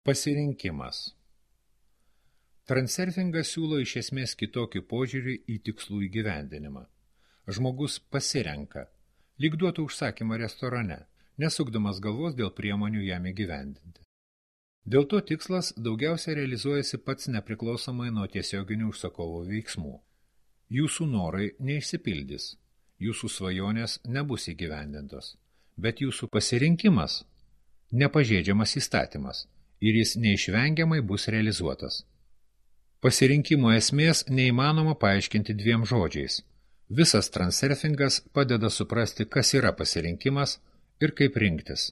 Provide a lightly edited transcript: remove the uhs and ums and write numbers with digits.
Pasirinkimas. Transurfingas siūlo iš esmės kitokį požiūrį į tikslų įgyvendinimą. Žmogus pasirenka, lyg duotų užsakymą restorane, nesukdamas galvos dėl priemonių jam įgyvendinti. Dėl to tikslas daugiausia realizuojasi pats nepriklausomai nuo tiesioginių užsakovo veiksmų. Jūsų norai neišsipildys, jūsų svajonės nebus įgyvendintos, bet jūsų pasirinkimas nepažeidžiamas įstatymas ir jis neišvengiamai bus realizuotas. Pasirinkimo esmės neįmanoma paaiškinti dviem žodžiais. Visas transurfingas padeda suprasti, kas yra pasirinkimas ir kaip rinktis.